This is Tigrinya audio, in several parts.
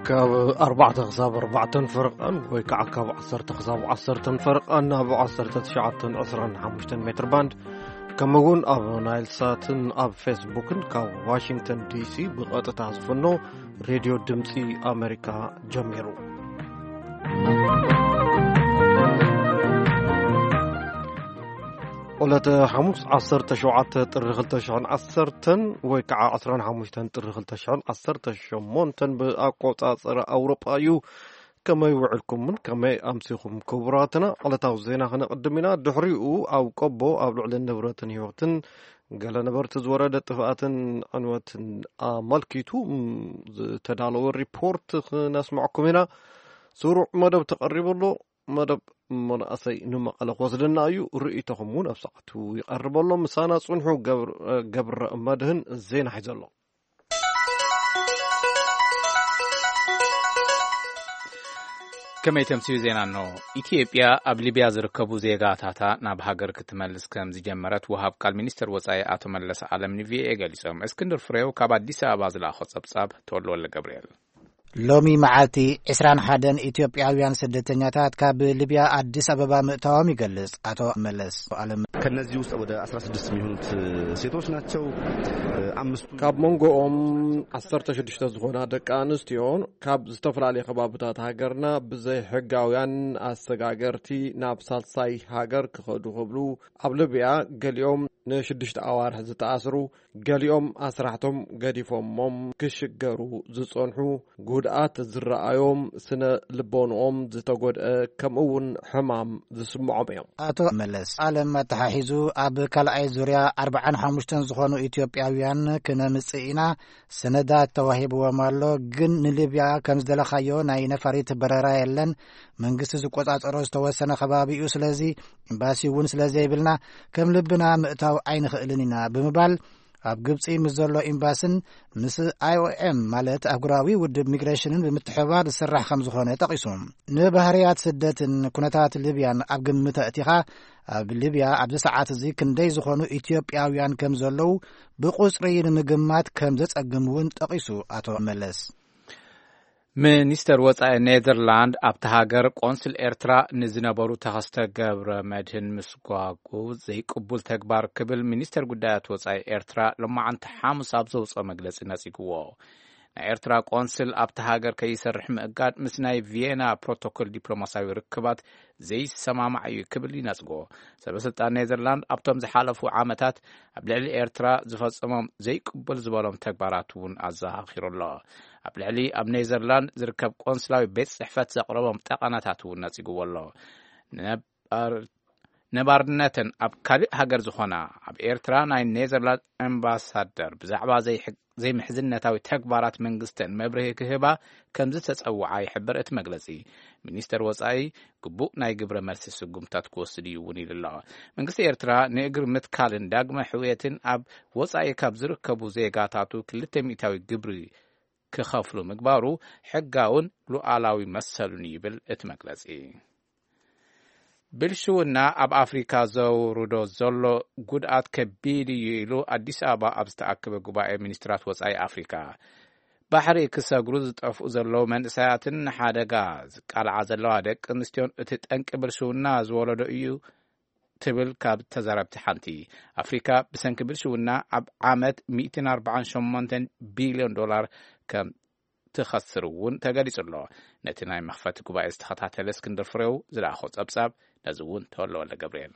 ካብ ኣርባዕተ ክሳብ ኣርባዕተን ፈረቓን ወይ ከዓ ካብ ዓሰርተ ክሳብ ዓሰርተን ፈረቓን ኣብ ዓሰርተ ትሽዓተን ዕስራን ሓሙሽተን ሜትር ባንድ፣ ከምኡ እውን ኣብ ናይል ሳትን ኣብ ፌስቡክን ካብ ዋሽንግተን ዲሲ ብቐጥታ ዝፍኖ ሬድዮ ድምፂ ኣሜሪካ ጀሚሩ። ዕለተ ሓሙስ ዓሰርተ ሸውዓተ ጥሪ ክልተ ሽሕን ዓሰርተን ወይ ከዓ ዕስራን ሓሙሽተን ጥሪ ክልተ ሽሕን ዓሰርተ ሸሞንተን ብኣቆጻጽራ ኣውሮጳ እዩ። ከመይ ውዕልኩምን ከመይ ኣምሲኹም ክቡራትና? ዕለታዊ ዜና ክነቕድም ኢና። ድሕሪኡ ኣብ ቆቦ ኣብ ልዕሊ ንብረትን ህይወትን ገለ ነበርቲ ዝወረደ ጥፍኣትን ዕንወትን ኣመልኪቱ ዝተዳለወ ሪፖርት ክነስምዐኩም ኢና። ስሩዕ መደብ ተቐሪቡ ኣሎ። መደብ መናእሰይ ንመቐለ ክወስደና እዩ። ርእይቶኹም እውን ኣብ ሰዓቱ ይቐርብ ኣሎ። ምሳና ጽንሑ። ገብረ መድህን ዜና ሒዘ ኣሎ። ከመይ ተምስዩ ዜና? ኖ ኢትዮጵያ ኣብ ሊብያ ዝርከቡ ዜጋታታ ናብ ሃገር ክትመልስ ከም ዝጀመረት ወሃብ ቃል ሚኒስትር ወጻኢ ኣቶ መለስ ዓለም ንቪኦኤ ገሊጾም። እስክንድር ፍሬው ካብ ኣዲስ ኣበባ ዝለኣኾ ጸብጻብ። ተወልወለ ገብርኤል። ሎሚ መዓልቲ ዕስራን ሓደን ኢትዮጵያውያን ስደተኛታት ካብ ሊብያ ኣዲስ ኣበባ ምእታዎም ይገልጽ ኣቶ መለስ ዓለም። ከነዚህ ውስጥ ወደ አስራ ስድስት የሚሆኑት ሴቶች ናቸው። አምስቱ ካብ መንጎኦም ዓሰርተ ሽዱሽተ ዝኾና ደቂ ኣንስትዮን ካብ ዝተፈላለዩ ከባብታት ሃገርና ብዘይ ሕጋውያን ኣሰጋገርቲ ናብ ሳልሳይ ሃገር ክኸዱ ክብሉ ኣብ ሊብያ ገሊኦም ንሽዱሽተ ኣዋርሕ ዝተኣስሩ፣ ገሊኦም ኣስራሕቶም ገዲፎሞም ክሽገሩ ዝጸንሑ፣ ጉድኣት ዝረኣዮም፣ ስነ ልቦንኦም ዝተጎድአ፣ ከምኡ እውን ሕማም ዝስምዖም እዮም። ኣቶ መለስ ዓለም ኣተሓሒዙ፣ ኣብ ካልኣይ ዙርያ ኣርባዓን ሓሙሽተን ዝኾኑ ኢትዮጵያውያን ክነምጽእ ኢና፣ ሰነዳት ተዋሂብዎም ኣሎ፣ ግን ንሊብያ ከም ዝደለኻዮ ናይ ነፋሪት በረራ የለን፣ መንግስቲ ዝቆጻጸሮ ዝተወሰነ ከባቢ እዩ፣ ስለዚ ኤምባሲ እውን ስለ ዘይብልና ከም ልብና ምእታው ኣይንኽእልን ኢና ብምባል ኣብ ግብጺ ምስ ዘሎ ኤምባስን ምስ ኣይኦኤም ማለት ኣህጉራዊ ውድብ ሚግሬሽንን ብምትሕብባር ዝስራሕ ከም ዝኾነ ጠቒሱ። ንባህርያት ስደትን ኩነታት ሊብያን ኣብ ግምት ኣእቲኻ ኣብ ሊብያ ኣብዚ ሰዓት እዚ ክንደይ ዝኾኑ ኢትዮጵያውያን ከም ዘለዉ ብቁጽሪ ንምግማት ከም ዘጸግም እውን ጠቒሱ ኣቶ መለስ። ሚኒስተር ወጻኢ ኔዘርላንድ ኣብቲ ሃገር ቆንስል ኤርትራ ንዝነበሩ ተኸስተ ገብረ መድህን ምስጓጉ ዘይቅቡል ተግባር ክብል ሚኒስተር ጉዳያት ወጻኢ ኤርትራ ሎማዓንቲ ሓሙስ ኣብ ዘውፅኦ መግለጺ ነጺግዎ። ናይ ኤርትራ ቆንስል ኣብቲ ሃገር ከይሰርሕ ምእጋድ ምስ ናይ ቪየና ፕሮቶኮል ዲፕሎማሲያዊ ርክባት ዘይሰማማዕ እዩ ክብል ይነጽጎ። ሰበስልጣን ኔዘርላንድ ኣብቶም ዝሓለፉ ዓመታት ኣብ ልዕሊ ኤርትራ ዝፈጸሞም ዘይቅበል ዝበሎም ተግባራት እውን ኣዘኻኺሩ ኣሎ። ኣብ ልዕሊ ኣብ ኔዘርላንድ ዝርከብ ቆንስላዊ ቤት ጽሕፈት ዘቕረቦም ጠቐነታት እውን ነጺግዎ ኣሎ። ነባር ነባርነተን ኣብ ካልእ ሃገር ዝኾና ኣብ ኤርትራ ናይ ኔዘርላንድ ኣምባሳደር ብዛዕባ ዘይምሕዝነታዊ ተግባራት መንግስተን መብርሂ ክህባ ከም ዝተጸውዓ ይሕብር እቲ መግለጺ። ሚኒስተር ወጻኢ ግቡእ ናይ ግብረ መልሲ ስጉምታት ክወስድ እዩ እውን ኢሉ ኣሎ። መንግስቲ ኤርትራ ንእግሪ ምትካልን ዳግመ ሕውየትን ኣብ ወጻኢ ካብ ዝርከቡ ዜጋታቱ ክልተ ሚእታዊ ግብሪ ክኸፍሉ ምግባሩ ሕጋውን ሉዓላዊ መሰሉን ይብል እቲ መግለጺ። ብልሽውና ኣብ ኣፍሪካ ዘውርዶ ዘሎ ጉድኣት ከቢድ እዩ ኢሉ ኣዲስ ኣበባ ኣብ ዝተኣከበ ጉባኤ ሚኒስትራት ወጻኢ ኣፍሪካ። ባሕሪ ክሰግሩ ዝጠፍኡ ዘለዉ መንእሰያትን ንሓደጋ ዝቃልዓ ዘለዋ ደቂ ኣንስትዮን እቲ ጠንቂ ብልሽውና ዝወለዶ እዩ ትብል ካብ ተዛረብቲ ሓንቲ። ኣፍሪካ ብሰንኪ ብልሽውና ኣብ ዓመት ሚእትን ኣርባዓን ሸሞንተን ቢልዮን ዶላር ከም ትኸስር እውን ተገሊጹ ኣሎ። ነቲ ናይ መኽፈቲ ጉባኤ ዝተኸታተለ እስክንድር ፍሬው ዝለኣኾ ጸብጻብ ነዚ እውን ተወልደ ወልደ ገብርኤል።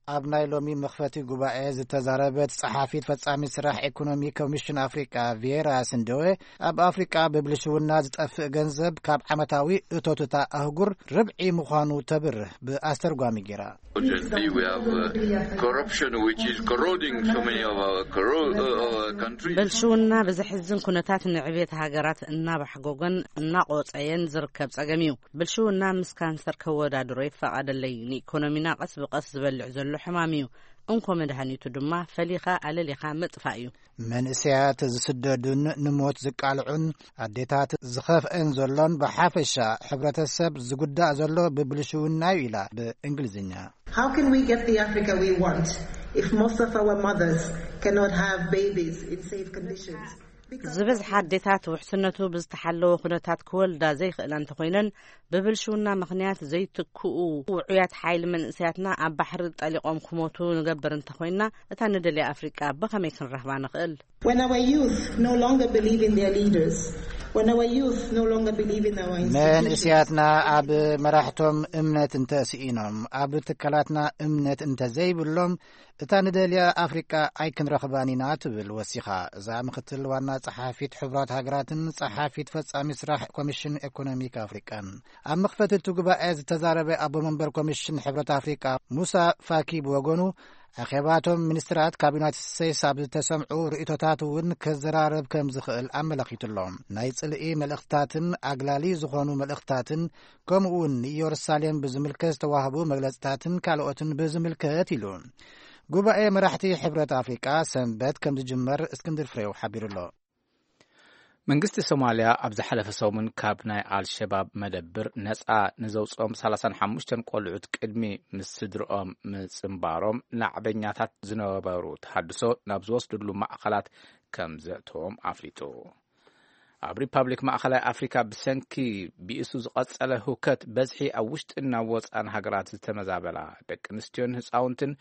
ኣብ ናይ ሎሚ መኽፈቲ ጉባኤ ዝተዛረበት ጸሓፊት ፈጻሚ ስራሕ ኢኮኖሚ ኮሚሽን ኣፍሪቃ ቪየራ ስንደወ፣ ኣብ ኣፍሪቃ ብብልሽውና ዝጠፍእ ገንዘብ ካብ ዓመታዊ እቶትታ ኣህጉር ርብዒ ምዃኑ ተብርህ ብኣስተርጓሚ ጌራ። Unfortunately, we have uh, corruption which is corroding so many of our corro- uh, our countries. ብልሽውና ብዘሕዝን ኩነታት ንዕቤት ሃገራት እናባሕጎጎን እናቆጸየን ዝርከብ ጸገም እዩ። ብልሽውና ምስ ካንሰር ከወዳድሮ ይፈቐደለይ። ንኢኮኖሚና ቀስ ብቐስ ዝበልዕ ዘሎ ሕማም እዩ። እንኮ መድሃኒቱ ድማ ፈሊኻ ኣለሊኻ ምጥፋእ እዩ። መንእሰያት ዝስደዱን ንሞት ዝቃልዑን ኣዴታት ዝኸፍአን ዘሎን ብሓፈሻ ሕብረተሰብ ዝጉዳእ ዘሎ ብብልሽውና እዩ ኢላ ብእንግሊዝኛ። How can we get the Africa we want if most of our mothers cannot have babies in safe conditions? ዝበዝሓ ኣዴታት ውሕስነቱ ብዝተሓለወ ኩነታት ክወልዳ ዘይኽእላ እንተኾይነን፣ ብብልሽውና ምኽንያት ዘይትክኡ ውዑያት ሓይሊ መንእሰያትና ኣብ ባሕሪ ጠሊቖም ክሞቱ ንገብር እንተኾይና፣ እታ ንደልያ ኣፍሪቃ ብኸመይ ክንረኽባ ንኽእል? When our youth no longer believe in their leaders, when our youth no longer believe in our institutions, መንእስያትና ኣብ መራሕቶም እምነት እንተስኢኖም፣ ኣብ ትካላትና እምነት እንተዘይብሎም፣ እታ ንደልያ ኣፍሪቃ ኣይክንረኽባን ኢና ትብል ወሲኻ። እዛ ምክትል ዋና ጸሓፊት ሕቡራት ሃገራትን ጸሓፊት ፈጻሚ ስራሕ ኮሚሽን ኢኮኖሚክ ኣፍሪቃን ኣብ መኽፈቲ እቲ ጉባኤ ዝተዛረበ ኣቦ መንበር ኮሚሽን ሕብረት ኣፍሪቃ ሙሳ ፋኪ ብወገኑ፣ ኣኼባቶም ሚኒስትራት ካብ ዩናይትድ ስቴትስ ኣብ ዝተሰምዑ ርእይቶታት እውን ክዘራረብ ከም ዝኽእል ኣመላኺቱሎም። ናይ ጽልኢ መልእኽትታትን ኣግላሊ ዝኾኑ መልእኽትታትን፣ ከምኡ እውን ንኢየሩሳሌም ብዝምልከት ዝተዋህቡ መግለጽታትን ካልኦትን ብዝምልከት ኢሉ። ጉባኤ መራሕቲ ሕብረት ኣፍሪቃ ሰንበት ከም ዝጅመር እስክንድር ፍሬው ሓቢሩ ኣሎ። መንግስቲ ሶማልያ ኣብ ዝሓለፈ ሰሙን ካብ ናይ ኣልሸባብ መደብር ነጻ ንዘውጽኦም ሰላሳን ሓሙሽተን ቆልዑት ቅድሚ ምስ ስድርኦም ምጽንባሮም ናዕበኛታት ዝነበሩ ተሃድሶ ናብ ዝወስድሉ ማእኸላት ከም ዘእተዎም ኣፍሊጡ። ኣብ ሪፓብሊክ ማእኸላይ ኣፍሪካ ብሰንኪ ብኢሱ ዝቐጸለ ህውከት በዝሒ ኣብ ውሽጥን ናብ ወጻን ሃገራት ዝተመዛበላ ደቂ ኣንስትዮን ህፃውንትን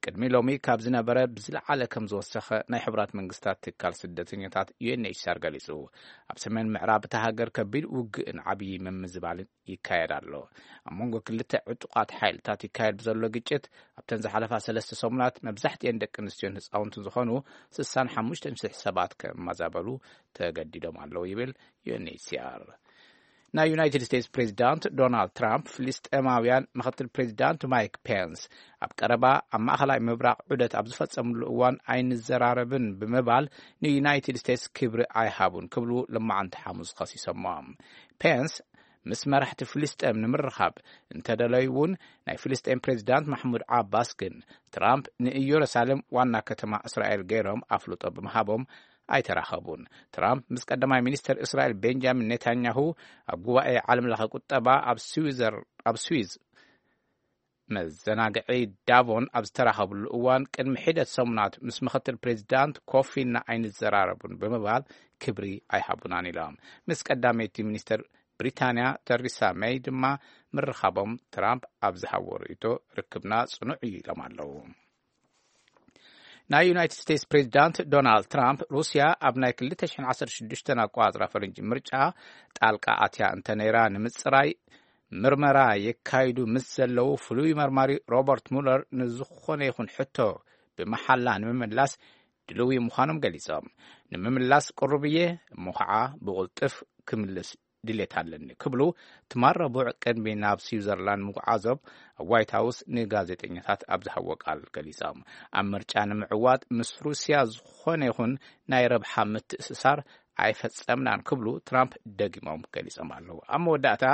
ቅድሚ ሎሚ ካብ ዝነበረ ብዝለዓለ ከም ዝወሰኸ ናይ ሕቡራት መንግስታት ትካል ስደተኛታት ዩ ኤን ኤች ሲ ኣር ገሊጹ። ኣብ ሰሜን ምዕራብ እታ ሃገር ከቢድ ውግእን ዓብዪ ምምዝባልን ይካየድ ኣሎ። ኣብ መንጎ ክልተ ዕጡቓት ሓይልታት ይካየድ ብዘሎ ግጭት ኣብተን ዝሓለፋ ሰለስተ ሰሙናት መብዛሕትኤን ደቂ ኣንስትዮን ህፃውንትን ዝኾኑ ስሳን ሓሙሽተን ሽሕ ሰባት ከመዛበሉ ተገዲዶም ኣለዉ ይብል ዩ ኤን ኤች ሲ ኣር። ናይ ዩናይትድ ስቴትስ ፕሬዚዳንት ዶናልድ ትራምፕ ፍልስጤማውያን ምክትል ፕሬዚዳንት ማይክ ፔንስ ኣብ ቀረባ ኣብ ማእኸላይ ምብራቕ ዑደት ኣብ ዝፈጸምሉ እዋን ኣይንዘራረብን ብምባል ንዩናይትድ ስቴትስ ክብሪ ኣይሃቡን ክብሉ ልማዓንቲ ሓሙስ ኸሲሶሞ። ፔንስ ምስ መራሕቲ ፍልስጤም ንምርኻብ እንተደለዩ እውን ናይ ፍልስጤም ፕሬዚዳንት ማሕሙድ ዓባስ ግን ትራምፕ ንኢየሩሳሌም ዋና ከተማ እስራኤል ገይሮም ኣፍልጦ ብምሃቦም ኣይተራኸቡን። ትራምፕ ምስ ቀዳማይ ሚኒስተር እስራኤል ቤንጃሚን ኔታንያሁ ኣብ ጉባኤ ዓለም ለኸ ቁጠባ ኣብ ስዊዘር ኣብ ስዊዝ መዘናግዒ ዳቮን ኣብ ዝተራኸብሉ እዋን ቅድሚ ሒደት ሰሙናት ምስ ምክትል ፕሬዚዳንት ኮፊና ኣይንዘራረቡን ብምባል ክብሪ ኣይሃቡናን ኢሎም። ምስ ቀዳመይቲ ሚኒስተር ብሪታንያ ተሪሳ መይ ድማ ምርኻቦም ትራምፕ ኣብ ዝሃቦ ርእይቶ ርክብና ጽኑዕ እዩ ኢሎም ኣለዉ። ናይ ዩናይትድ ስቴትስ ፕሬዚዳንት ዶናልድ ትራምፕ ሩስያ ኣብ ናይ ክልተ ሽሕን ዓሰርተ ሽዱሽተን ኣቋጽራ ፈረንጂ ምርጫ ጣልቃ ኣትያ እንተነይራ ንምጽራይ ምርመራ የካይዱ ምስ ዘለዉ ፍሉይ መርማሪ ሮበርት ሙለር ንዝኾነ ይኹን ሕቶ ብመሓላ ንምምላስ ድልዊ ምዃኖም ገሊጾም። ንምምላስ ቅሩብ እየ፣ እሞ ኸዓ ብቕልጥፍ ክምልስ ድሌት ኣለኒ ክብሉ ትማል ረቡዕ ቅድሚ ናብ ስዊዘርላንድ ምጉዓዞም ኣብ ዋይት ሃውስ ንጋዜጠኛታት ኣብ ዝሃቦ ቃል ገሊጾም። ኣብ ምርጫ ንምዕዋት ምስ ሩስያ ዝኾነ ይኹን ናይ ረብሓ ምትእስሳር ኣይፈጸምናን ክብሉ ትራምፕ ደጊሞም ገሊጾም ኣለዉ። ኣብ መወዳእታ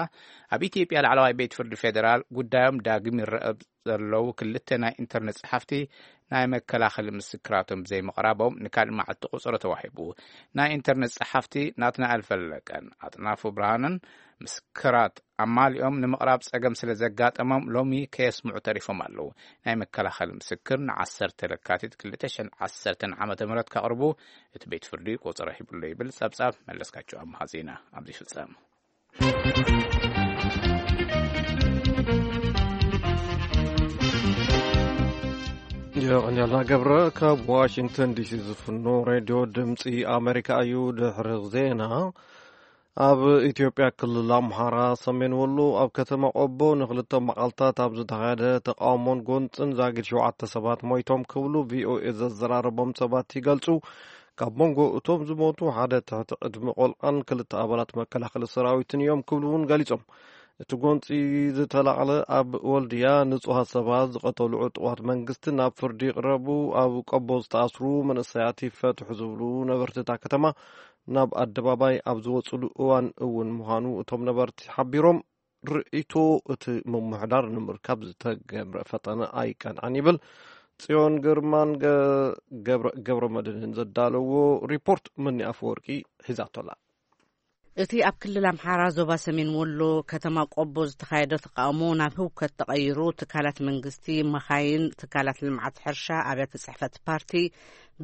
ኣብ ኢትዮጵያ ላዕለዋይ ቤት ፍርዲ ፌደራል ጉዳዮም ዳግም ይረአ ዘለዉ ክልተ ናይ ኢንተርነት ጸሓፍቲ ናይ መከላኸሊ ምስክራቶም ዘይምቕራቦም ንካልእ መዓልቲ ቁጽሪ ተዋሂቡ። ናይ ኢንተርነት ጸሓፍቲ ናትናኤል ፈለቀን ኣጥናፉ ብርሃንን ምስክራት ኣማሊኦም ንምቕራብ ጸገም ስለ ዘጋጠሞም ሎሚ ከየስምዑ ተሪፎም ኣለዉ። ናይ መከላኸሊ ምስክር ንዓሰርተ ለካቲት ክልተ ሽሕን ዓሰርተን ዓመተ ምህረት ከቕርቡ እቲ ቤት ፍርዲ ቁጽሪ ሂብሎ ይብል ጸብጻብ መለስካቸው ኣምሃ ዜና ኣብዚ ይፍጸም። የቐንያልና ገብረ ካብ ዋሽንግተን ዲሲ ዝፍኖ ሬድዮ ድምፂ ኣሜሪካ እዩ። ድሕሪ ዜና፣ ኣብ ኢትዮጵያ ክልል ኣምሓራ ሰሜን ወሎ ኣብ ከተማ ቆቦ ንክልተ መዓልታት ኣብ ዝተኻየደ ተቃውሞን ጎንፅን ዛጊድ ሸውዓተ ሰባት ሞይቶም ክብሉ ቪኦኤ ዘዘራረቦም ሰባት ይገልፁ። ካብ መንጎ እቶም ዝሞቱ ሓደ ትሕቲ ዕድመ ቆልዓን ክልተ ኣባላት መከላኸሊ ሰራዊትን እዮም ክብሉ እውን ገሊጾም። እቲ ጎንጺ ዝተላዕለ ኣብ ወልድያ ንጹሃት ሰባት ዝቐተሉ ዕጡቓት መንግስቲ ናብ ፍርዲ ይቕረቡ፣ ኣብ ቆቦ ዝተኣስሩ መንእሰያት ይፈትሑ ዝብሉ ነበርቲ እታ ከተማ ናብ ኣደባባይ ኣብ ዝወጽሉ እዋን እውን ምዃኑ እቶም ነበርቲ ሓቢሮም። ርእይቶ እቲ ምምሕዳር ንምርካብ ዝተገብረ ፈተነ ኣይቀንዐን ይብል። ጽዮን ግርማን ገ-፣ ገብረ፣ ገብረ መድህንን ዘዳለዎ ሪፖርት ምኒ ኣፈወርቂ ሒዛቶላ። እቲ ኣብ ክልል ኣምሓራ ዞባ ሰሜን ወሎ ከተማ ቆቦ ዝተኻየደ ተቓውሞ ናብ ህውከት ተቐይሩ፣ ትካላት መንግስቲ፣ መኻይን፣ ትካላት ልምዓት ሕርሻ፣ ኣብያተ ጽሕፈት ፓርቲ፣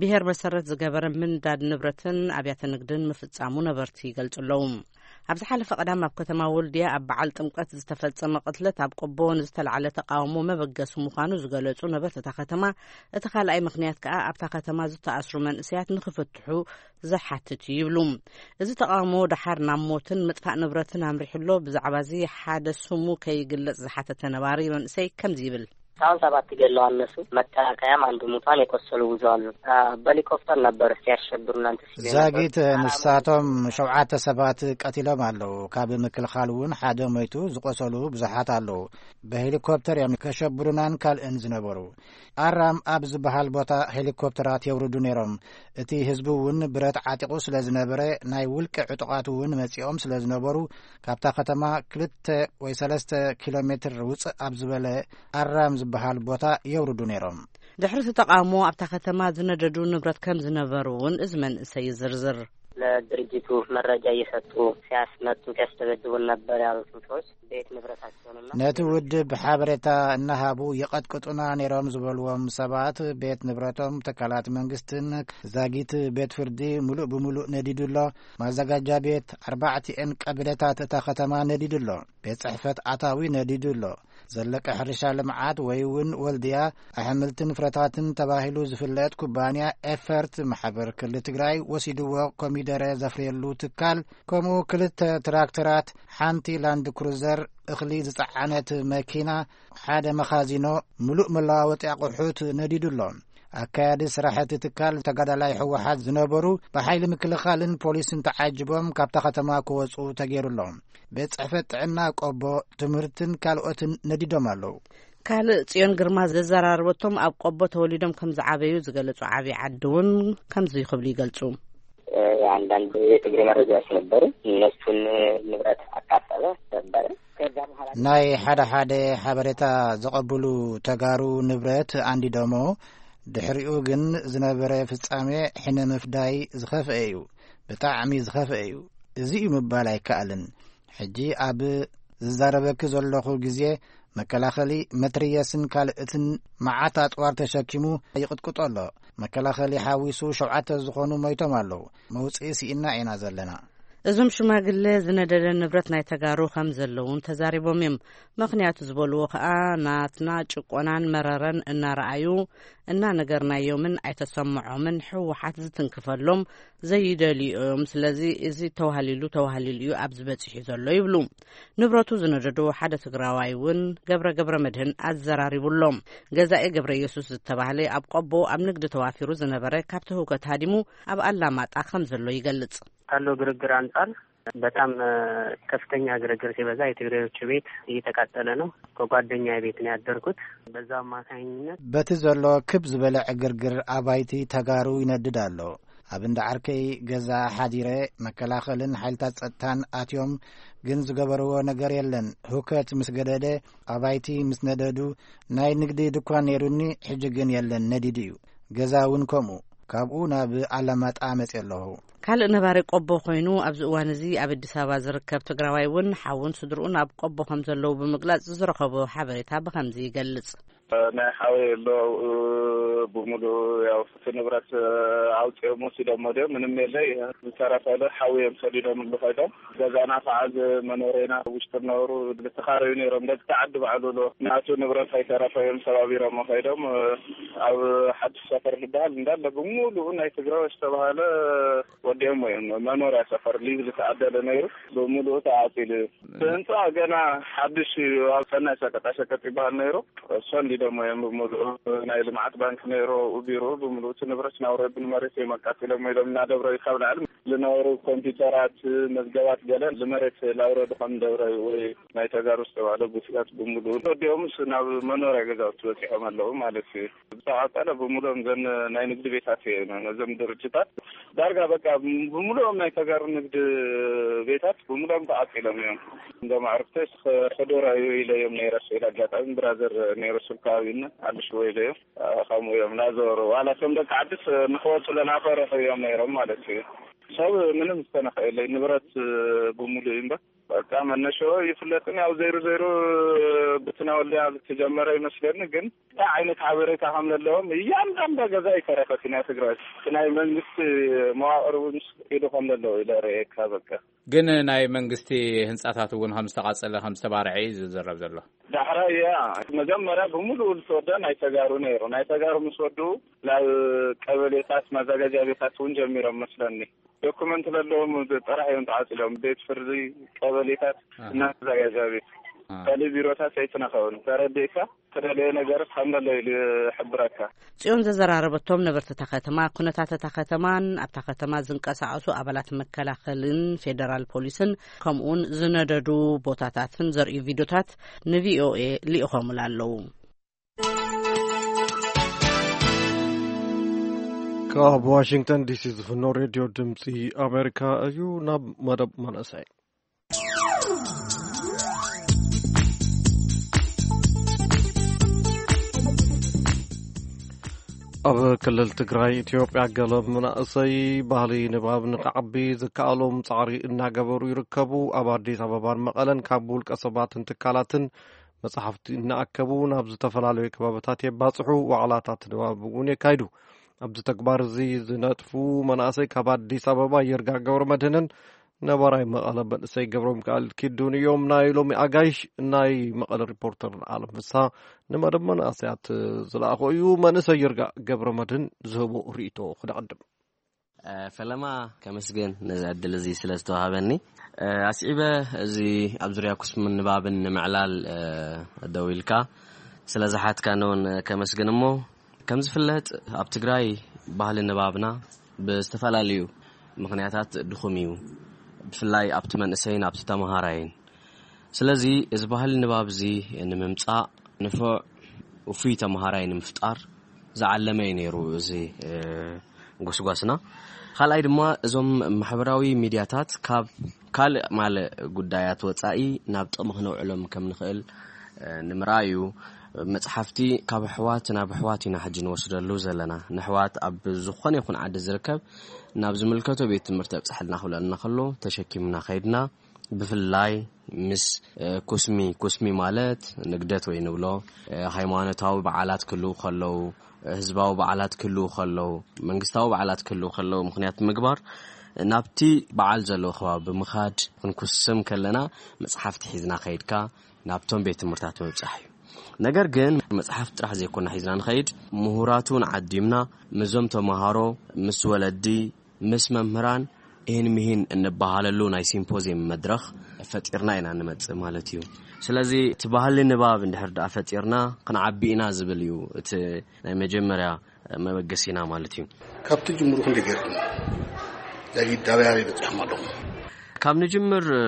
ብሄር መሰረት ዝገበረ ምንዳድ ንብረትን ኣብያተ ንግድን ምፍጻሙ ነበርቲ ይገልጹ ኣለዉ። ኣብ ዝሓለፈ ቀዳም ኣብ ከተማ ወልድያ ኣብ በዓል ጥምቀት ዝተፈጸመ ቅትለት ኣብ ቆቦ ንዝተላዕለ ተቓውሞ መበገሲ ምዃኑ ዝገለጹ ነበርቲ እታ ከተማ፣ እቲ ካልኣይ ምኽንያት ከኣ ኣብታ ከተማ ዝተኣስሩ መንእሰያት ንኽፍትሑ ዝሓትት እዩ ይብሉ። እዚ ተቓውሞ ደሓር ናብ ሞትን ምጥፋእ ንብረትን ኣምሪሑ ኣሎ። ብዛዕባ እዚ ሓደ ስሙ ከይግለጽ ዝሓተተ ነባሪ መንእሰይ ከምዚ ይብል። እስካሁን ሰባት ገለዋል እነሱ። መከላከያም አንድ ሙቷን የቆሰሉ ብዙ አሉ። በሄሊኮፕተር ነበር ሲያሸብሩ እናንተ ሲሉ የነበሩ። ዛጊት ንሳቶም ሸውዓተ ሰባት ቀቲሎም ኣለዉ። ካብ ምክልኻል እውን ሓደ ሞይቱ፣ ዝቆሰሉ ብዙሓት ኣለዉ። ብሄሊኮፕተር እዮም ከሸብሩናን ካልእን ዝነበሩ። ኣራም ኣብ ዝበሃል ቦታ ሄሊኮፕተራት የውርዱ ነይሮም። እቲ ህዝቢ እውን ብረት ዓጢቑ ስለ ዝነበረ፣ ናይ ውልቂ ዕጡቓት እውን መጺኦም ስለ ዝነበሩ፣ ካብታ ከተማ ክልተ ወይ ሰለስተ ኪሎ ሜትር ውጽእ ኣብ ዝበለ ኣራም ዝበሃል ቦታ የውርዱ ነይሮም። ድሕሪ እቲ ተቓውሞ ኣብታ ከተማ ዝነደዱ ንብረት ከም ዝነበሩ እውን እዚ መንእሰይ ይዝርዝር። ለድርጅቱ መረጃ እየሰጡ ሲያስመቱ ሲያስደበድቡን ነበር ያሉትን ሰዎች ቤት ንብረታቸውንና ነቲ ውድብ ሓበሬታ እናሃቡ ይቐጥቅጡና ነይሮም ዝበልዎም ሰባት ቤት ንብረቶም፣ ትካላት መንግስትን ዛጊት ቤት ፍርዲ ምሉእ ብምሉእ ነዲዱ ኣሎ። ማዘጋጃ ቤት ኣርባዕቲኤን ቀበሌታት እታ ከተማ ነዲዱ ኣሎ። ቤት ጽሕፈት ኣታዊ ነዲዱ ኣሎ። ዘለቀ ሕርሻ ልምዓት ወይ እውን ወልድያ ኣሕምልትን ፍረታትን ተባሂሉ ዝፍለጥ ኩባንያ ኤፈርት ማሕበር ክልል ትግራይ ወሲድዎ ኮሚደረ ዘፍርየሉ ትካል፣ ከምኡ ክልተ ትራክተራት፣ ሓንቲ ላንድ ክሩዘር፣ እኽሊ ዝጸዓነት መኪና፣ ሓደ መኻዚኖ፣ ምሉእ መለዋወጢ ኣቑሑት ነዲዱ ኣሎ። ኣካያዲ ስራሕ እቲ ትካል ተጋዳላይ ህወሓት ዝነበሩ ብሓይሊ ምክልኻልን ፖሊስን ተዓጅቦም ካብታ ከተማ ክወጹ ተገይሩ ኣሎ። ቤት ጽሕፈት ጥዕና ቆቦ፣ ትምህርትን ካልኦትን ነዲዶም ኣለዉ። ካልእ ጽዮን ግርማ ዘዘራረበቶም ኣብ ቆቦ ተወሊዶም ከም ዝዓበዩ ዝገለጹ ዓብዪ ዓዲ እውን ከምዚ ክብሉ ይገልጹ። የአንዳንድ የትግሬ መረጃዎች ነበሩ። እነሱን ንብረት አቃጠለ ነበረ። ከዛ በኋላ ናይ ሓደ ሓደ ሓበሬታ ዘቐብሉ ተጋሩ ንብረት ኣንዲዶሞ። ድሕሪኡ ግን ዝነበረ ፍጻሜ ሕነ ምፍዳይ ዝኸፍአ እዩ። ብጣዕሚ ዝኸፍአ እዩ። እዚ እዩ ምባል ኣይከኣልን። ሕጂ ኣብ ዝዛረበኪ ዘለኹ ግዜ መከላኸሊ መትርየስን ካልእትን መዓት ኣጽዋር ተሸኪሙ ይቕጥቅጦ ኣሎ። መከላኸሊ ሓዊሱ ሸውዓተ ዝኾኑ ሞይቶም ኣለዉ። መውጽኢ ስኢና ኢና ዘለና። እዞም ሽማግለ ዝነደደ ንብረት ናይ ተጋሩ ከም ዘለውን ተዛሪቦም እዮም። ምኽንያቱ ዝበልዎ ከኣ ናትና ጭቆናን መረረን እናረኣዩ እናነገርናዮምን ኣይተሰምዖምን ህወሓት ዝትንክፈሎም ዘይደልዩ እዮም። ስለዚ እዚ ተዋህሊሉ ተዋህሊሉ እዩ ኣብዚ በጺሑ ዘሎ ይብሉ። ንብረቱ ዝነደዶ ሓደ ትግራዋይ እውን ገብረ ገብረ መድህን ኣዘራሪቡ ኣሎ። ገዛኢ ገብረ ኢየሱስ ዝተባህለ ኣብ ቆቦ ኣብ ንግዲ ተዋፊሩ ዝነበረ ካብቲ ህውከት ሃዲሙ ኣብ ኣላማጣ ከም ዘሎ ይገልጽ። ካለው ግርግር አንጻር በጣም ከፍተኛ ግርግር ሲበዛ የትግሬዎቹ ቤት እየተቃጠለ ነው። ከጓደኛዬ ቤት ነው ያደርኩት። በዛ አማካኝነት በቲ ዘሎ ክብ ዝበለ ዕግርግር ኣባይቲ ተጋሩ ይነድድ ኣሎ። ኣብ እንዳ ዓርከይ ገዛ ሓዲረ መከላኸልን ሓይልታት ጸጥታን ኣትዮም፣ ግን ዝገበርዎ ነገር የለን። ሁከት ምስ ገደደ ኣባይቲ ምስ ነደዱ ናይ ንግዲ ድኳን ነይሩኒ፣ ሕጂ ግን የለን፣ ነዲዱ እዩ። ገዛ እውን ከምኡ። ካብኡ ናብ ኣላማጣ መጽየ ኣለኹ። ካልእ ነባሪ ቆቦ ኮይኑ ኣብዚ እዋን እዚ ኣብ ኣዲስ ኣበባ ዝርከብ ትግራዋይ እውን ሓውን ስድርኡን ኣብ ቆቦ ከም ዘለዉ ብምግላጽ ዝረኸቦ ሓበሬታ ብኸምዚ ይገልጽ። ናይ ሓወይ ኣሎ ኣብኡ ብምሉእ ያው እቲ ንብረት ኣውፂኦም ወሲዶሞ ድዮም ምንም የለይ። ዝተረፈ ዶ ሓውዮም ሰዲዶምሉ ከይዶም ገዛና ከዓ እዚ መኖሬና ውሽጢ ነበሩ ዝተኻረዩ ነይሮም። ደቂ ዓዲ ባዕሉ ዶ ናቱ ንብረት ኣይተረፈ እዮም ሰባቢሮሞ ከይዶም ኣብ ሓድሽ ሰፈር ዝበሃል እንዳለ ብምሉኡ ናይ ትግራይ ዝተባሃለ ወዲኦሞ እዮም። መኖርያ ሰፈር ሊዝ ዝተዓደለ ነይሩ ብምሉኡ ተዓፂሉ እዩ። እቲ ህንፃ ገና ሓድሽ እዩ። ኣብ ሰናይ ሸቀጣ ሸቀጥ ይበሃል ነይሩ። እሱ እንዲደሞ እዮም ብምሉኡ ናይ ልምዓት ባንክ ነይሩ ኣብኡ ቢሮ ብምሉኡ እቲ ንብረት ናውረዱ ንመሬት እዮም ኣቃፂሎም ኢሎም እናደብረ ካብ ላዕሊ ዝነበሩ ኮምፒውተራት መዝገባት ገለ ንመሬት ላውረዱ ከም ደብረ ወይ ናይ ተጋሩ ዝተባህለ ቡቲካት ብምሉኡ ወዲኦምስ ናብ መኖርያ ገዛውቲ በፂሖም ኣለዉ ማለት እዩ። ዝተቃፀለ ብምሉኦም ዘን ናይ ንግዲ ቤታት እየ ነዞም ድርጅታት ዳርጋ በቃ ብምሉኦም ናይ ተጋሩ ንግዲ ቤታት ብምሉኦም ተቃፂሎም እዮም። እንዶ ማዕርፍተስ ሕዱራ እዩ ኢለዮም ነይረ ስኢል ኣጋጣሚ ብራዘር ነይረ ሱብ ከባቢና ኣልሽዎ ኢለዮም ከምኡ እዮም ናዞሩ ዋላ ከም ደቂ ዓድስ ንክወፁ ለናፈረሑ እዮም ነይሮም ማለት እዩ። ሰብ ምንም ዝተነኸ የለይ፣ ንብረት ብምሉእ እዩ እምበር። በቃ መነሾ ይፍለጥን፣ ያው ዘይሩ ዘይሩ ብትናወልያ ዝተጀመረ ይመስለኒ። ግን እንታይ ዓይነት ሓበሬታ ከም ዘለዎም፣ እያንዳንዳ ገዛ ይተረፈት ናይ ትግራይ፣ ናይ መንግስቲ መዋቅር እውን ኢሉ ከም ዘለዎ ኢለ ርእየካ። በቃ ግን ናይ መንግስቲ ህንፃታት እውን ከም ዝተቃፀለ ከም ዝተባርዐ እዩ ዝዘረብ ዘሎ። ዳሕራይ እያ፣ መጀመርያ ብምሉኡ ዝተወደ ናይ ተጋሩ ነይሩ። ናይ ተጋሩ ምስ ወዱ ናብ ቀበሌታት ማዘጋጃ ቤታት እውን ጀሚሮም መስለኒ። ዶኩመንት ዘለዎም ጥራሕ እዮም ተዓፅሎም። ቤት ፍርዲ፣ ቀበሌታት እና ማዘጋጃ ቤት፣ ካልእ ቢሮታት ኣይትነኸውን። ተረዲእካ? ተደለየ ነገር ከም ዘሎ ኢሉ ይሕብረካ። ጽዮን ዘዘራረበቶም ነበርቲ እታ ከተማ፣ ኩነታት እታ ከተማን ኣብታ ከተማ ዝንቀሳቐሱ ኣባላት መከላኸልን ፌደራል ፖሊስን፣ ከምኡውን ዝነደዱ ቦታታትን ዘርእዩ ቪድዮታት ንቪኦኤ ልኢኾምላ ኣለዉ። ካብ ዋሽንግተን ዲሲ ዝፍኖ ሬድዮ ድምፂ ኣሜሪካ እዩ። ናብ መደብ መንእሰይ። ኣብ ክልል ትግራይ ኢትዮጵያ፣ ገለ መናእሰይ ባህሊ ንባብ ንክዓቢ ዝከኣሎም ጻዕሪ እናገበሩ ይርከቡ። ኣብ ኣዲስ ኣበባን መቐለን ካብ ውልቀ ሰባትን ትካላትን መጽሓፍቲ እናኣከቡ ናብ ዝተፈላለዩ ከባብታት የባጽሑ። ዋዕላታት ንባብ እውን የካይዱ። ኣብዚ ተግባር እዚ ዝነጥፉ መናእሰይ ካብ ኣዲስ ኣበባ፣ ይርጋ ገብረ መድህንን ነባራይ መቐለ መንእሰይ ገብረ ሚካኤል ኪዱን እዮም። ናይ ሎሚ ኣጋይሽ ናይ መቐለ ሪፖርተር ኣለም ፍስሃ ንመደብ መናእሰያት ዝለኣኾ እዩ። መንእሰይ ይርጋ ገብረ መድህን ዝህቦ ርእይቶ ክነቐድም። እ፣ ፈለማ ከመስግን ነዚ ዕድል እዚ ስለ ዝተዋሃበኒ። እ፣ ኣስዒበ እዚ ኣብ ዙርያ ኩስምን ንባብን ንምዕላል፣ እ፣ ደው ኢልካ ስለ ዝሓትካኒ እውን ከመስግን። እሞ ከም ዝፍለጥ ኣብ ትግራይ ባህሊ ንባብና ብዝተፈላለዩ ምኽንያታት ድኹም እዩ፣ ብፍላይ ኣብቲ መንእሰይን ኣብቲ ተመሃራይን። ስለዚ እዚ ባህሊ ንባብ እዚ ንምምጻእ፣ ንፉዕ ውፉይ ተመሃራይ ንምፍጣር ዝዓለመ እዩ ነይሩ እዚ፣ እ፣ ጎስጓስና። ካልኣይ ድማ እዞም ማሕበራዊ ሚድያታት ካብ ካልእ ማለ ጉዳያት ወጻኢ ናብ ጥቕሚ ክነውዕሎም ከም ንኽእል፣ እ፣ ንምርኣይ እዩ። መጽሓፍቲ ካብ ኣሕዋት ናብ ኣሕዋት ኢና ሕጂ ንወስደሉ ዘለና። ንኣሕዋት ኣብ ዝኾነ ይኹን ዓዲ ዝርከብ ናብ ዝምልከቶ ቤት ትምህርቲ ኣብጽሐልና ክብለና ከሎ ተሸኪምና ከይድና፣ ብፍላይ ምስ፣ እ፣ ኩስሚ፣ ኩስሚ ማለት ንግደት ወይ ንብሎ፣ እ፣ ሃይማኖታዊ በዓላት ክህልዉ ከለዉ፣ እ፣ ህዝባዊ በዓላት ክህልዉ ከለዉ፣ መንግስታዊ በዓላት ክህልዉ ከለዉ ምኽንያት ምግባር፣ ናብቲ በዓል ዘለዎ ከባቢ ብምኻድ ክንኩስም ከለና መጽሓፍቲ ሒዝና ከይድካ ናብቶም ቤት ትምህርታት ምብጻሕ እዩ። ነገር ግን መጽሓፍቲ ጥራሕ ዘይኮና ሒዝና ንኸይድ፣ ምሁራት እውን ዓዲምና ምስዞም ተመሃሮ፣ ምስ ወለዲ፣ ምስ መምህራን ይህን ምሂን እንበሃለሉ ናይ ሲምፖዚየም መድረኽ ፈጢርና ኢና ንመጽእ ማለት እዩ። ስለዚ እቲ ባህሊ ንባብ እንድሕር ደኣ ፈጢርና ክንዓቢ ኢና ዝብል እዩ እቲ ናይ መጀመርያ መበገሲና ማለት እዩ። ካብቲ ጅምሩ ክንደይ ገይርኩም? ዛጊድ ኣበይ ኣበይ በጺሕኩም ኣለኹም? ካብ ንጅምር፣ እ፣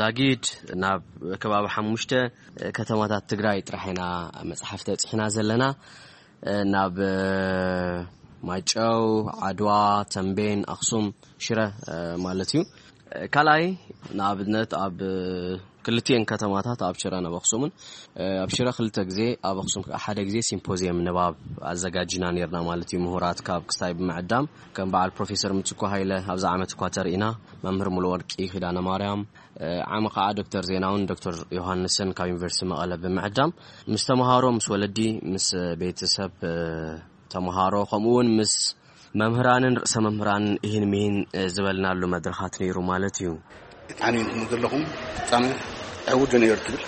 ዛጊድ ናብ ከባቢ ሓሙሽተ፣ እ፣ ከተማታት ትግራይ ጥራሕ ኢና መጽሓፍቲ ኣብጺሕና ዘለና። እ፣ ናብ፣ እ፣ ማይጨው፣ ዓድዋ፣ ተምቤን፣ ኣኽሱም፣ ሽረ፣ እ፣ ማለት እዩ። እ፣ ካልኣይ ንኣብነት ኣብ፣ እ፣ ክልቲኤን ከተማታት ኣብ ሽረን ኣብ ኣኽሱምን፣ እ፣ ኣብ ሽረ ክልተ ግዜ፣ ኣብ ኣኽሱም ከዓ ሓደ ግዜ ሲምፖዚየም ንባብ ኣዘጋጅና ነይርና ማለት እዩ። ምሁራት ካብ ክስታይ ብምዕዳም ከም በዓል ፕሮፌሰር ምትኩ ሃይለ ኣብዚ ዓመት እኳ ተርኢና፣ መምህር ሙሉወርቂ ኪዳነ ማርያም፣ እ፣ ዓሚ ከዓ ዶክተር ዜናውን ዶክተር ዮሃንስን ካብ ዩኒቨርሲቲ መቐለ ብምዕዳም ምስ ተምሃሮ፣ ምስ ወለዲ፣ ምስ ቤተሰብ፣ እ፣ ተምሃሮ ከምኡ እውን ምስ መምህራንን ርእሰ መምህራንን እሂን ምሂን፣ እ፣ ዝበልናሉ መድረኻት ነይሩ ማለት እዩ። ብጣዕሚ እንኩም ዘለኹም ፍጻመ ዕዉት ዶ ነይሩ ትብል?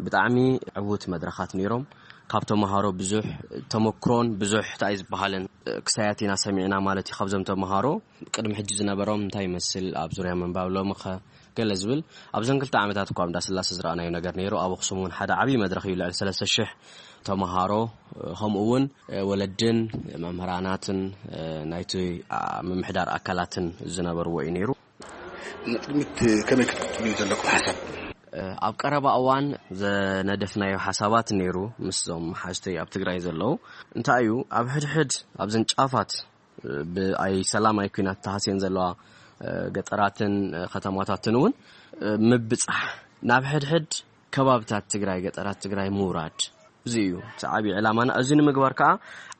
ብጣዕሚ ዕዉት መድረኻት ነይሮም። ካብ ተምሃሮ ብዙሕ ተመክሮን ብዙሕ እንታይ ዝበሃልን፣ እ፣ ክሳያት ኢና ሰሚዕና ማለት እዩ። ካብዞም ተምሃሮ ቅድሚ ሕጂ ዝነበሮም እንታይ ይመስል ኣብ ዙርያ ምንባብ፣ ሎሚ ኸ ገለ ዝብል። ኣብዘን ክልተ ዓመታት እኳ ኣብ እንዳስላሰ ዝረኣናዮ ነገር ነይሩ። ኣብ ኣኽሱም እውን ሓደ ዓብዪ መድረኽ እዩ። ልዕሊ ሰለስተ ሽሕ ተምሃሮ፣ እ፣ ከምኡ እውን፣ እ፣ ወለድን መምህራናትን፣ እ፣ ናይቲ፣ ኣ፣ ምምሕዳር ኣካላትን ዝነበርዎ እዩ ነይሩ። ንቅድሚት ከመይ ክትቅጽሉ እዩ ዘለኩም ሓሳብ? እ፣ ኣብ ቀረባ እዋን ዘነደፍናዮ ሓሳባት ነይሩ ምስዞም ሓዝተይ ኣብ ትግራይ ዘለዉ። እንታይ እዩ፣ ኣብ ሕድሕድ ኣብዘን ጫፋት፣ እ፣ ብኣይ ሰላም ኣይ ኲናት ተሃስየን ዘለዋ፣ እ፣ ገጠራትን፣ እ፣ ከተማታትን እውን፣ እ፣ ምብጻሕ፣ ናብ ሕድሕድ ከባብታት ትግራይ፣ ገጠራት ትግራይ ምውራድ፣ እዚ እዩ እቲ ዓብዪ ዕላማና። እዚ ንምግባር ከዓ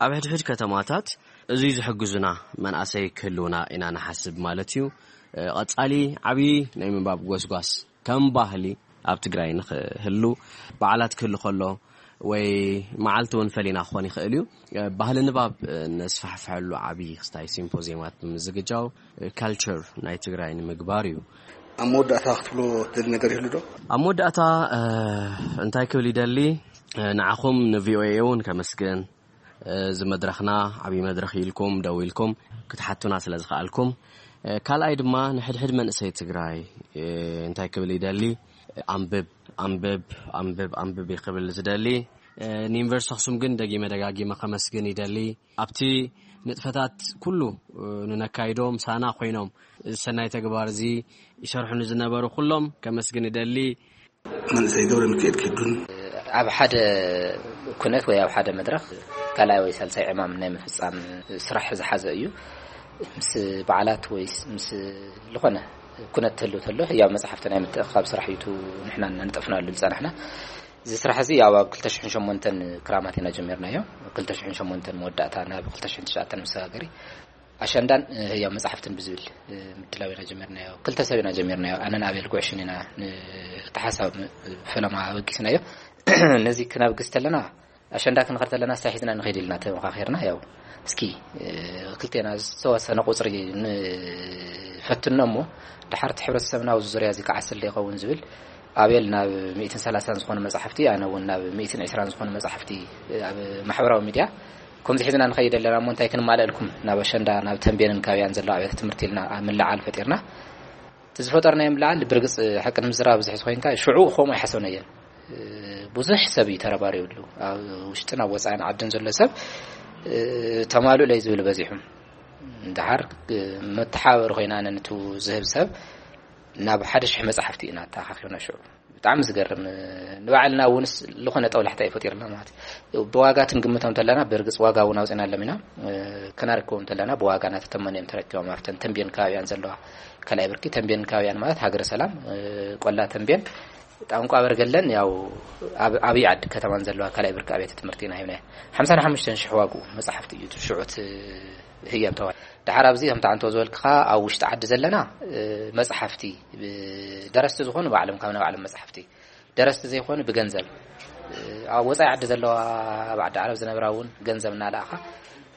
ኣብ ሕድሕድ ከተማታት እዙይ ዝሕግዙና መናእሰይ ክህልውና ኢና ንሓስብ ማለት እዩ። እ፣ ቐጻሊ ዓብዪ ናይ ምንባብ ጎስጓስ ከም ባህሊ ኣብ ትግራይ ንኽህሉ፣ በዓላት ክህሉ ከሎ ወይ መዓልቲ እውን ፈሊና ክኾን ይኽእል እዩ። እ፣ ባህሊ ንባብ፣ እ፣ ነስፋሕፍሐሉ ዓብዪ ክስታይ ሲምፖዚየማት ብምዝግጃው፣ እ፣ ካልቸር ናይ ትግራይ ንምግባር እዩ። ኣብ መወዳእታ ክትብሎ ትደሊ ነገር ይህሉ ዶ? ኣብ መወዳእታ፣ እ፣ እንታይ ክብል ይደሊ? እ፣ ንዓኹም ንቪኦኤ እውን ከመስግን፣ እዚ መድረኽና ዓብዪ መድረኽ ኢልኩም ደው ኢልኩም ክትሓቱና ስለ ዝኸኣልኩም፣ ካልኣይ ድማ ንሕድሕድ መንእሰይ ትግራይ እንታይ ክብል ይደሊ? ኣንብብ፣ ኣንብብ፣ ኣንብብ፣ ኣንብብ ክብል ዝደሊ። ንዩኒቨርሲቲ ኣኽሱም ግን ደጊመ ደጋጊመ ከመስግን ይደሊ። ኣብቲ ንጥፈታት ኩሉ ንነካይዶ ምሳና ኮይኖም እዚ ሰናይ ተግባር እዚ ይሰርሑ ንዝነበሩ ኩሎም ከመስግን ይደሊ። መንእሰይ ገብረ ሚካኤል ኪዱን። ኣብ ሓደ ኩነት ወይ ኣብ ሓደ መድረኽ ካልኣይ ወይ ሳልሳይ ዕማም ናይ ምፍጻም ስራሕ ዝሓዘ እዩ። ምስ በዓላት ወይ ምስ ዝኾነ ኩነት ትህሉ ተሎ፣ ያው መጽሓፍቲ ናይ ምትእኽኻብ ስራሕ እዩ፣ ንሕና እናንጠፍናሉ ዝጸናሕና። እዚ ስራሕ እዚ ያው ኣብ ክልተ ሽሕን ሸሞንተን ክራማት ኢና ጀሚርናዮ። ክልተ ሽሕን ሸሞንተን መወዳእታ ናብ ክልተ ሽሕን ትሽዓተን መሰጋገሪ። ኣሸንዳን፣ እ፣ ህያው መጻሕፍትን ብዝብል፣ እ፣ ምድላው ኢና ጀሚርናዮ። ክልተ ሰብ ኢና ጀሚርናዮ። ኣነን ኣቤል ጉዕሽን ኢና ን-፣ እቲ ሓሳብ ም-፣ ፈለማ ኣበጊስናዮ። ነዚ ክነብግስ ተለና፣ ኣሸንዳ ክንኸድ ተለና፣ እንታይ ሒዝና ንኸይድ ኢልና ተመኻኺርና፣ ያው፣ እስኪ፣ እ፣ ክልቴና ዝተወሰነ ቁጽሪ ንፈትኖ እሞ፣ ደሓር እቲ ሕብረተሰብና ኣብዚ ዙርያ እዚ ክዓስል ዶ ይኸውን ዝብል፣ ኣቤል ናብ ሚእትን ሰላሳን ዝኾኑ መጻሕፍቲ፣ ኣነ እውን ናብ ሚእትን ዕስራን ዝኾኑ መጻሕፍቲ ኣብ ማሕበራዊ ሚድያ ከምዚ ሒዝና ንኸይድ ኣለና እሞ እንታይ ክንማለእልኩም ናብ ኣሸንዳ፣ ናብ ተንቤንን ካውያን ዘለዋ ኣብያተ ትምህርቲ ኢልና ኣብ ምልዓል ፈጢርና። እቲ ዝፈጠርናዮ ምልዓል ብርግጽ ሓቂ ንምዝራብ ብዙሕ ዝኾይንካ ሽዑ ከምኡ ኣይሓሰብናዮን። ብዙሕ ሰብ እዩ ተረባሪብሉ። ኣብ ውሽጥን ኣብ ወጻኢን ዓድን ዘሎ ሰብ ተማሉእ ለይ ዝብል በዚሑ። እንድሓር መተሓባበሪ ኮይና ነንቱ ዝህብ ሰብ ናብ ሓደ ሽሕ መጻሕፍቲ ኢና ኣተኣኻኺብና ሽዑ። ብጣዕሚ ዝገርም፣ ንባዕልና እውንስ ዝኾነ ጠውላሕታ እዩ ፈጢርና ማለት እዩ። ብዋጋ ክንግምቶም ተለና፣ ብርግጽ ዋጋ እውን ኣውጺናሎም ኢና። ክነርክቦም ተለና፣ ብዋጋ እናተተመኑ እዮም ተረኪቦም። ኣብተን ተንቤን ከባቢያን ዘለዋ ካልኣይ ብርኪ፣ ተንቤን ከባቢያን ማለት ሃገረ ሰላም፣ ቆላ ተንቤን፣ ጣንቋ በርገለን፣ ያው ኣብ ዓብዪ ዓዲ ከተማን ዘለዋ ካልኣይ ብርኪ ኣብያተ ትምህርቲ ኢና ሂብናዮ። ሓምሳን ሓሙሽተን ሽሕ ዋግኡ መጽሓፍቲ እዩ እቲ ሽዑ እቲ ህያብ ተባሂሉ። ደሓር ኣብዚ ከምቲ ኣንቶ ዝበልክኻ ኣብ ውሽጢ ዓዲ ዘለና፣ እ፣ መጽሓፍቲ፣ እ፣ ደረስቲ ዝኾኑ ባዕሎም ካብ ናይ ባዕሎም መጽሓፍቲ፣ ደረስቲ ዘይኮኑ ብገንዘብ፣ እ፣ ኣብ ወጻኢ ዓዲ ዘለዋ ኣብ ዓዲ ዓረብ ዝነብራ እውን ገንዘብ እናለኣኻ፣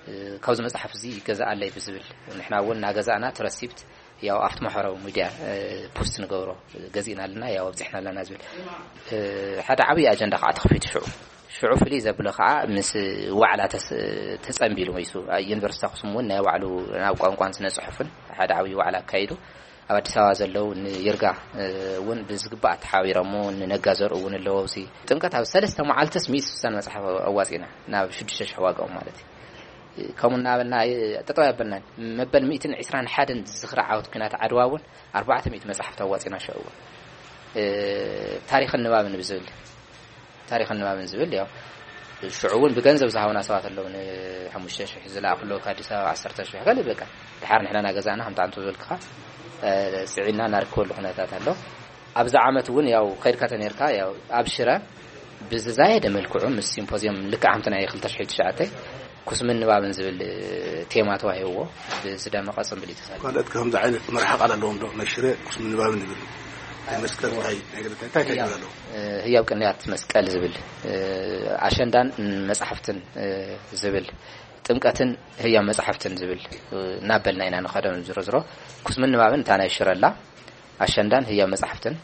እ፣ ካብዚ መጽሓፍ እዚ ይገዝኣለይ ብዝብል ንሕና እውን እናገዛእና እቲ ረሲፕት ያው ኣብቲ ማሕበራዊ ሚድያ፣ እ፣ ፖስት ንገብሮ፣ ገዚእና ኣለና፣ ያው ኣብዚሕና ኣለና ዝብል፣ እ፣ ሓደ ዓብዪ ኣጀንዳ ከዓ ተኸፊቱ ሽዑ። ሽዑ ፍልይ ዘብሎ ከዓ ምስ ዋዕላ ተስ-፣ ተጸንቢሉ መይሱ። ዩኒቨርሲቲ ኣኽሱም እውን ናይ ባዕሉ ናብ ቋንቋን ስነ ጽሑፍን ሓደ ዓብዪ ዋዕላ ኣካይዱ። ኣብ ኣዲስ ኣበባ ዘለዉ ንይርጋ፣ እ፣ እውን ብዝግባእ ተሓቢሮሞ፣ ንነጋ ዘርኡ እውን ኣለዎ። ኣብዚ ጥምቀት ኣብ ሰለስተ መዓልትስ ሚእቲ ስሳን መጽሓፍ ኣዋጺና፣ ናብ ሽዱሽተ ሽሕ ዋጋኦም ማለት እዩ። ከምኡ እናበልና፣ እ፣ ጠጠው ያበልናን። መበል ሚእትን ዕስራን ሓደን ዝኽሪ ዓወት ኲናት ዓድዋ እውን ኣርባዕተ ሚእቲ መጽሓፍቲ ኣዋጺና ሽዑ እውን። እ፣ ታሪኽን ንባብን ብዝብል፣ ታሪኽን ንባብን ዝብል፣ ያው፣ ሽዑ እውን ብገንዘብ ዝሃቡና ሰባት ኣለዉ። ንሓሙሽተ ሽሕ ዝለኣኹ ኣለዉ፣ ካብ ኣዲስ ኣበባ ዓሰርተ ሽሕ፣ ካልእ በቃ። ድሓር ንሕና እናገዛእና፣ ከምቲ ኣንቶ ዝበልክኻ፣ እ፣ ጽዒና እናርከበሉ ኩነታት ኣሎ። ኣብዚ ዓመት እውን፣ ያው፣ ከይድካ ተነይርካ፣ ያው፣ ኣብ ሽረ ብዝዛየደ መልክዑ ምስ ሲምፖዚየም ልክዕ ከምቲ ናይ ክልተ ሽሕ ትሽዓተ ኩስምን ንባብን ዝብል ቴማ ተዋሂብዎ ብዝደመቐ ጽምብል እዩ ተሳሊሙ። ካልኦት ከምዚ ዓይነት መርሓ ቃል ኣለዎም ዶ? ናይ ሽረ ኩስምን ንባብን ዝብል ናይ መስቀል እንታይ፣ ናይ ገለ እንታይ፣ እንታይ ህያብ፣ ትብል ኣለዎ? እ፣ ህያብ ቅንያት መስቀል ዝብል፣ እ፣ ኣሸንዳን መጻሕፍትን፣ እ፣ ዝብል ጥምቀትን ህያብ መጻሕፍትን ዝብል፣ እ፣ እናበልና ኢና ንኸዶ። ዝሮ ዝሮ ኩስምን ንባብን እታ ናይ ሽረ ኣላ፣ ኣሸንዳን ህያብ መጻሕፍትን፣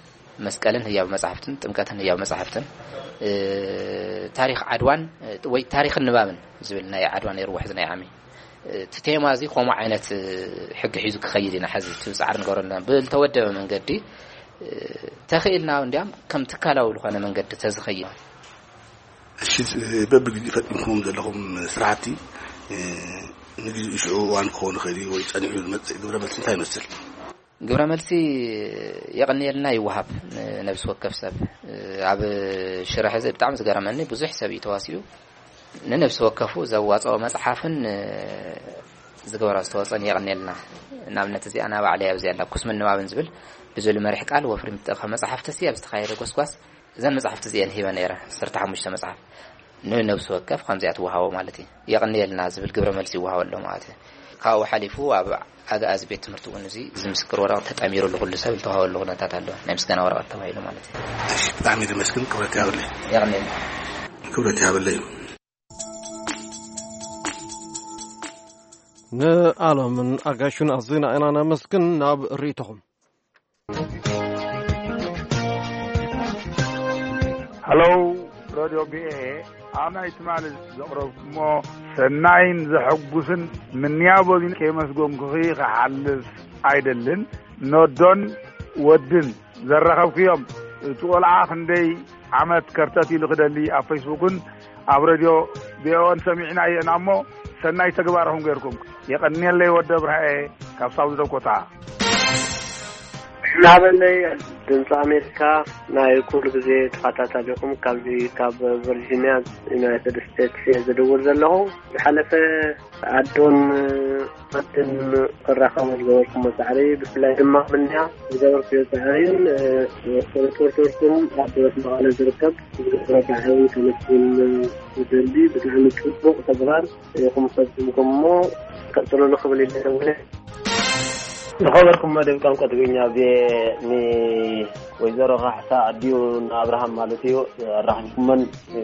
መስቀልን ህያብ መጻሕፍትን፣ ጥምቀትን ህያብ መጻሕፍትን፣ እ፣ ታሪኽ ዓድዋን፣ እ፣ ወይ ታሪኽን ንባብን ዝብል ናይ ዓድዋ ነይሩ ውሕዚ ናይ ዓሚ። እ፣ እቲ ቴማ እዚ ከምኡ ዓይነት፣ እ፣ ሕጊ ሒዙ ክኸይድ ኢና ሕዚ እቲ ጻዕሪ ንገብረሉ ዘለና። ብልተወደበ መንገዲ፣ እ፣ ተኽኢልና እንዲያም ከም ትካላዊ ዝኾነ መንገዲ ተዝኸይድ። እሺ፣ በብግዜኡ ፈጢምኩሞም ዘለኹም ስራሕቲ፣ እ፣ ንግዜኡ ሽዑ እዋን ክኸውን ይኽእል እዩ ወይ ጸኒሑ ዝመጽእ ግብረ መልሲ እንታይ ይመስል? ግብረ መልሲ የቐንየልና ይወሃብ ንነብሲ ወከፍ ሰብ። ኣብ ሽረ ሕዚ ብጣዕሚ ዝገረመኒ ብዙሕ ሰብ እዩ ተዋሲኡ። ንነብሲ ወከፉ ዘዋፅኦ መፅሓፍን ዝገበሮ ዝተወፀን የቐንየልና። ንኣብነት እዚኣ ናባዕለይ ኣብዚ ኣላ ኩስምን ንባብን ዝብል ብዝብል መሪሕ ቃል ወፍሪ ምትእኽኻብ መፅሓፍቲ ሲ ኣብ ዝተኻየደ ጎስጓስ እዘን መፅሓፍቲ እዚኤን ሂበ ነይረ። ዓሰርተ ሓሙሽተ መፅሓፍ ንነብሲ ወከፍ ከምዚኣ ትወሃቦ ማለት እዩ። የቐንየልና ዝብል ግብረ መልሲ ይወሃቦ ኣሎ ማለት እዩ። ካብኡ ሓሊፉ ኣብ ኣግኣዚ ቤት ትምህርቲ እውን እዚ፣ እዚ ምስክር ወረቐት ተጣሚሩሉ ኩሉ ሰብ ዝተዋሃበሉ ኩነታት ኣሎ። ናይ ምስጋና ወረቐት ተባሂሉ ማለት እዩ። እሺ፣ ብጣዕሚ ደመስግን። ክብረት ይሃበለይ። የቐንየልና። ክብረት ይሃበለይ። ንኣሎምን ኣጋሹን ኣዝና ኢና ነመስግን። ናብ ርእይቶኹም። ሃሎ፣ ረድዮ ቪኦኤ፣ ኣብ ናይ ትማሊ ዘቕረብኩሞ ሰናይን ዘሐጉስን ምንያቦዚን ከየመስገንኩኺ ክሓልፍ ኣይደልን። ኖዶን ወድን ዘራኸብኩዮም፣ እቲ ቆልዓ ክንደይ ዓመት ከርተት ኢሉ ክደሊ ኣብ ፌስቡክን ኣብ ረድዮ ቪኦኤን ሰሚዕና ኢና እሞ፣ ሰናይ ተግባርኹም ገይርኩም። የቐንየለይ ወዲ ኣብርሃኤ ካብ ሳውዝ ዳኮታ። ናበለይ ድምፂ ኣሜሪካ ናይ ኩሉ ግዜ ተኸታታሊኹም፣ ካብዚ ካብ ቨርጂኒያ ዩናይትድ ስቴትስ እየ ዝድውል ዘለኹ። ዝሓለፈ ኣዶን ወድን ክራኸቡ ዝገበርኩሞ ፃዕሪ፣ ብፍላይ ድማ ምንያ ዝገበርኩዮ ፃዕሪን ሪፖርተርኩም ኣብ መቐለ ዝርከብ ዝገበሮ ፃዕሪ ከመስግን ይደሊ። ብጣዕሚ ፅቡቕ ተግባር ኢኹም ፈፂምኩም እሞ ቀፅሉሉ ክብል ይደሊ። ዝኸበርኩም መደብ ቋንቋ ትግርኛ ብ-፣ ንወይዘሮ ካሕሳ ኣዲኡ ንኣብርሃም ማለት እዩ ኣራኺብኩመን።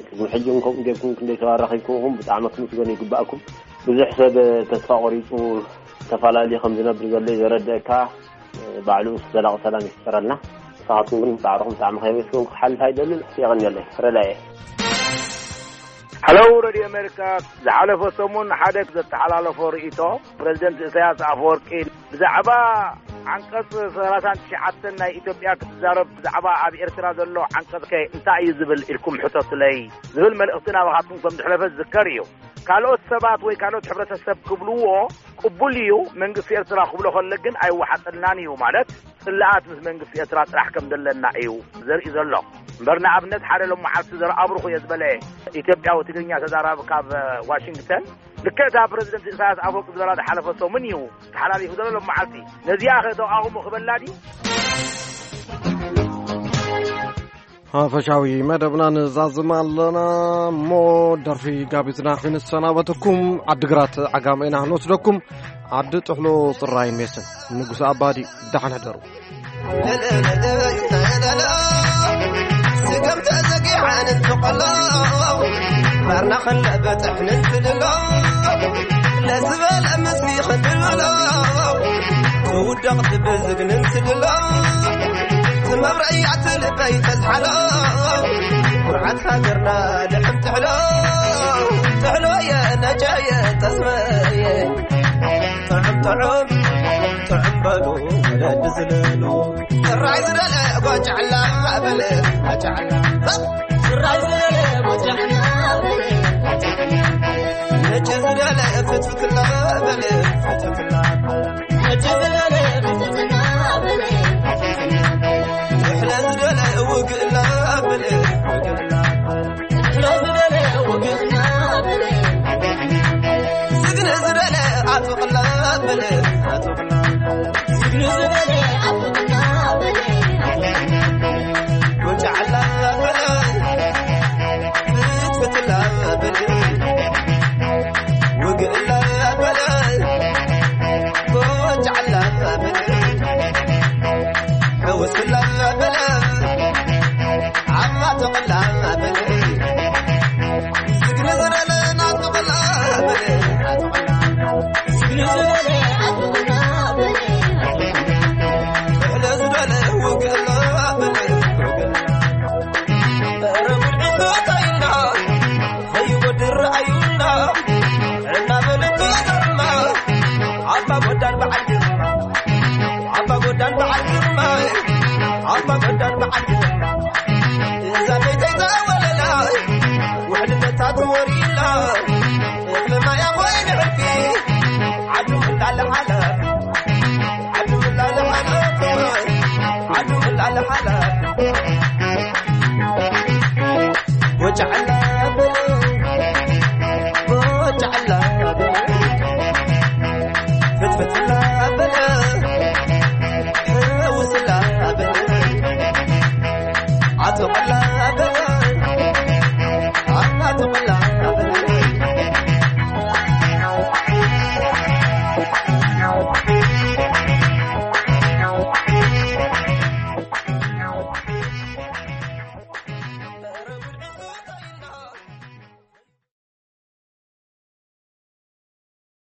ቅድሚ ሕጂ እውን ከምኡ ጌርኩም ክንደይ ሰብ ኣራኺብኩም ኢኹም። ብጣዕሚ ክትምስገኑ ይግባእኩም። ብዙሕ ሰብ ተስፋ ቆሪፁ ተፈላለዩ ከም ዝነብር ዘሎ እዩ ዘረድአካ። ባዕሉ ምስ ዘላቂ ሰላም ይፍጠረልና። ንስኻትኩም ግን ጻዕርኹም ብጣዕሚ ከየመስገንኩ ክሓልፍ ኣይደልን። የቐንየለይ። ረዳየ። ሃለው ረድዮ ኣሜሪካ፣ ዝሓለፈ ሰሙን ሓደ ዘተሓላለፎ ርእይቶ ፕረዚደንት ኢሳያስ ኣፈወርቂ ብዛዕባ ዓንቀጽ ሰላሳን ትሽዓተን ናይ ኢትዮጵያ ክትዛረብ፣ ብዛዕባ ኣብ ኤርትራ ዘሎ ዓንቀጽ ከ እንታይ እዩ ዝብል ኢልኩም ሕተቱለይ ዝብል መልእኽቲ ናባኻትኩም ከም ዝሕለፈ ዝዝከር እዩ። ካልኦት ሰባት ወይ ካልኦት ሕብረተሰብ ክብልዎ ቅቡል እዩ፣ መንግስቲ ኤርትራ ክብሎ ከሎ ግን ኣይወሓጠልናን እዩ፣ ማለት ጽልኣት ምስ መንግስቲ ኤርትራ ጥራሕ ከም ዘለና እዩ ዘርኢ ዘሎ። እምበር ንኣብነት ሓደ ሎም መዓልቲ ዘርኣብሩኹ እየ ዝበለ ኢትዮጵያዊ ትግርኛ ተዛራቢ ካብ ዋሽንግተን፣ ልክዕ እታ ፕረዚደንት ኢሳያስ ኣፈወርቂ ዝበላ ዝሓለፈ ሰሙን እዩ ተሓላሊፉ ዘሎ ሎም መዓልቲ። ነዚኣ ከ ተቃውሞ ክበላ ድዩ? ሓፈሻዊ መደብና ንዛዝም ኣለና እሞ ደርፊ ጋቢዝና ክንሰናበተኩም ዓድግራት ዓጋመ ኢና ክንወስደኩም። ዓዲ ጥሕሎ ጽራይን ሜስን ንጉስ ኣባዲ ደሓን ሕደሩ። ስገም ተዘጊዓን እንትቆሎ ባርና ከለበጥሕ ንስልሎ ለዝበለ ምስሊ ክንድልሎ ትውደቕ ትብዝግ ንስልሎ ትመብረያ ትልበይ ተዝሓሎ ኩርዓት ሃገርና ልሕም ትሕሎ ትሕሎ የነጃየ ተስመየ ጥዑም ጥዑም ጥዑም በሉ ወለዲ ዝለሉ ጥራይ ዝደለ ጎጫዕላ በል ጎጫዕላ ጥራይ ዝደለ ጎጫዕላ በል ነጭ ዝደለ ፍትፍትላ በል ፍትፍትላ ነጭ ዝደለ ፍትፍትላ በል ፍትፍትላ ዝሕለ ዝደለ ውግእላ በል ውግእላ ዝግነ ዝበለ ኣጥብቕላ በለ ኣጥብቕላ ዝግነ ዝበለ ኣጥብቕላ በለ ወጫዕላ በለ ፍትፍትላ በለ ውግእላ በለ ወጫዕላ በለ ሕውስላ በለ ዓማ ተቐላ በለ ዝግነ ዝበለ ናጥቕላ በለ ዝግነ ዝበለ ኣጥቕላ በለ ሕለ ዝበለ ውግእላ በለ ረጉድ ዕንበታይና ዘይወድር ኣዩና እናበለት ተዘርማ ኣባ ጎዳን በዓል ግርማ ኣባ ጎዳን በዓል ግርማ ኣባ ጎዳን በዓል ግርማ እዛ ቤተይ ተወለላ ውሕልነታ ትወሪላ እኽሊ ማያ ኮይነ ሕልፊ ዓዱ እንዳለሓላ